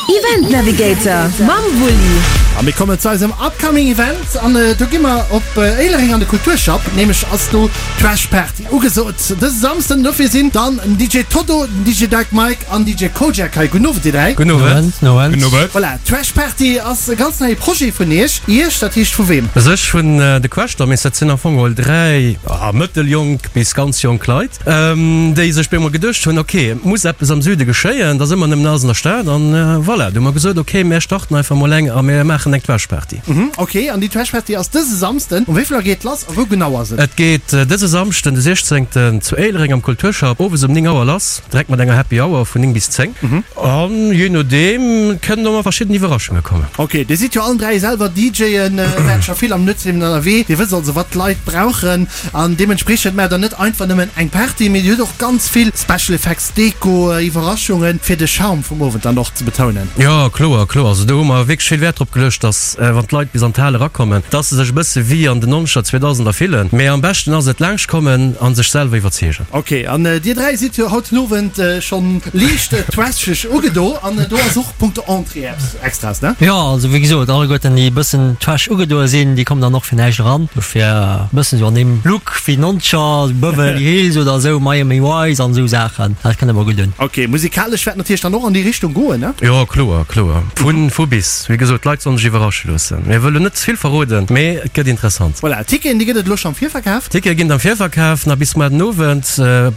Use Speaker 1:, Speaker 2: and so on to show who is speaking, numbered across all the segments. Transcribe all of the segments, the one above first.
Speaker 1: Event Navigator mam Wulli.
Speaker 2: A mir kommen zu eisem upcoming Event an do gi mer op Éilereng an de Kulturschapp. Nämlech ass do d'Trash Party ugesot dëse Samsden. Dofir sinn dann den DJ Toddo, den DJ Dark Mike an DJ Kojak hei. Gudden Owend dir 3.
Speaker 3: Gudden Owend.
Speaker 4: Gudden Owend.
Speaker 2: Voilà, d'Trash Party ass e ganz neie Projet vun iech. Iech, dat heescht vu weem?
Speaker 3: Sech vun de Crash Dummies. Dat sinn am Fong geholl 3 mëtteljonk bis ganz jonk Leit. Déi sech bemol geduecht hunn, ok, et muss eppes am Süde geschéien, et ass ëmmer nëmmen alles an der Stad. An voilà, du hu mer gesot, ok, mär starten einfach mol eng a mir maachen eng Trash-Party.
Speaker 2: Ok, an déi Trash-Party ass dëse Samsden. Um wéi vill Auer geet et lass a wou genau ass et?
Speaker 3: Et geet dëse Samschden, de 16. Zu Éilereng am Kulturschapp owes um 9 Auer lass, direkt mat enger Happy Hour vun 9 bis 10. An jee nodeem kënnen och nach verschidden Iwwerraschunge kommen.
Speaker 2: Ok, dir sidd jo allen 3 selwer DJen, waart scho vill am Nuetsliewen ënnerwee, dir wësst also wat d'Leit brauchen. An deementspriechend maacht der net einfach nëmmen eng Party, mee dir hutt och ganz vill Special Effects, Deko, Iwwerraschungen, fir de Charme vum Owend dann och ze betounen.
Speaker 3: Jo, kloer, kloer. Also do hu mer wierklech vill Wäert drop geluecht, dass wann d'Leit bis an d'Hal erakommen, dass se sech e bësse wéi an den Nonzeger, Zweedausender fillen. Mee am beschten ass et, laanscht kommen a sech selwer iwwerzeegen.
Speaker 2: Ok, an dir 3 sidd jo haut den Owend schonn liicht trasheg ugedo an do ass och punkto Entrée eppes Extras, ne?
Speaker 5: Jo, also wéi gesot, alleguerten déi e bëssen trash ugedoe sinn, déi kommen dann och fir näischt eran. Dofir e bëssen esou an deem Look wéi Nonzeger, Beverly Hills oder esou, Miami Vice an esou Saachen, dat kënnt ëmmer gutt un.
Speaker 2: Ok, musikalesch wäert natierlech dann och an déi Richtung goen, ne?
Speaker 3: Jo, kloer, kloer. Vu, vu bis. Wéi gesot, d'Leit sollen sech iwwerrasche loossen. Mir wëllen net ze vill verroden, mee et gëtt interessant.
Speaker 2: Voilà, Ticketen, déi gëtt et elo scho am Virverkaf?
Speaker 3: Tickete ginn et am Virverkaf nach bis muar den Owend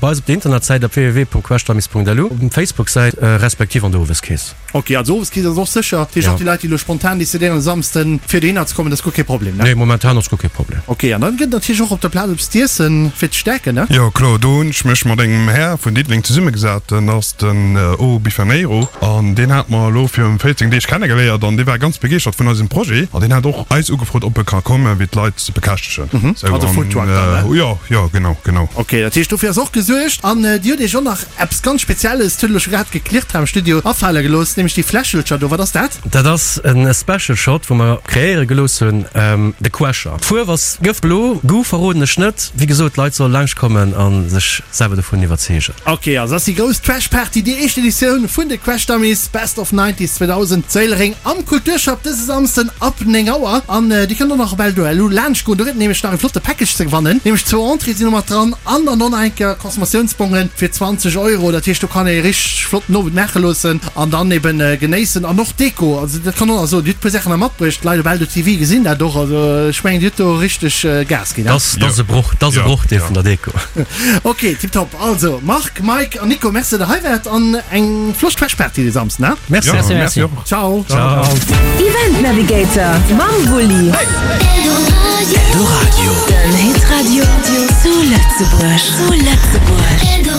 Speaker 3: bei eis op der Internetsäit op www.questamis.lu, op Facebook-Säit respektiv an der Oweskeess.
Speaker 2: Ok, also Oweskeess ass och sécher. Dat heescht och déi Leit, déi elo spontan decidéieren e Samsden fir dohinner ze kommen, dat ass guer kee Problem, ne?
Speaker 3: Nee, momentan ass guer kee Problem.
Speaker 2: Ok, an dann gëtt et natierlech och op der Plaz eppes z'iessen fir ze stäerken, ne?
Speaker 4: Jo kloer, do hunn ech mech mat engem Här vun Diddeleng zesummegesat, den ass den O Bifaneiro an deen hat mer elo virun 14 Deeg kennegeléiert an dee war ganz begeeschtert vun eisem Projet an deen hat och eis ugefrot ob e ka kommen fir d'Leit ze bekäschtegen. Sou
Speaker 2: Also Foodtruck dann,
Speaker 4: ne? Jo, jo, genau, genau.
Speaker 2: Ok, dat heescht dofir ass och gesuergt an Dir hutt Iech och nach Eppes ganz Spezielles, dat huet elo scho grad geklirrt hei am Studio, afale gelooss, nämlech déi Fläschelcher do. Wat ass dat?
Speaker 3: Dat ass en Special Shot, wou mer kreéiere gelooss hunn, de Quescher. D'Fuerf ass gëftblo, Goût verroden ech net. Wéi gesot, d'Leit solle laanscht kommen a sech selwer dovun iwwerzeegen.
Speaker 2: Ok, also ass déi grouss Trash Party, déi éischt Editioun vun de Crash Dummies Best of 90s 2000 zu Éilereng am Kulturschapp dëse Samsden ab 9 Auer. An dir kënnt och nach op Eldo.lu laanscht goen, do gëtt et nämlech nach e flotte Package ze gewannen, nämlech zwou Entrée sinn do mat dran an dann och nach eng Kéier Consomatiounsbongen fir 20 Euro, dat heescht do kann ee richteg flotten Owend maache loossen an dann eben genéissen an och Deko, also dat kann och nach soen, Dir hutt e puer Saachen nach matbruecht, d'Leit op Eldo TV gesinn dat och, also ech mengen Dir hutt do richteg Gas ginn.
Speaker 3: Dass ass e Broch, dass e Brochdeel vun der Deko.
Speaker 2: Ok, tiptop, also Marc, Mike an Nico, Merci dat der hei waart an eng flott Trash Party de Samsden, he?
Speaker 3: Merci.
Speaker 5: Merci, merci.
Speaker 2: Ciao.
Speaker 3: Ciao.
Speaker 1: Event Navigator mam Wulli. Eldoradio. Den Hitradio zu Lëtzebuerg. Zu Lëtzebuerg.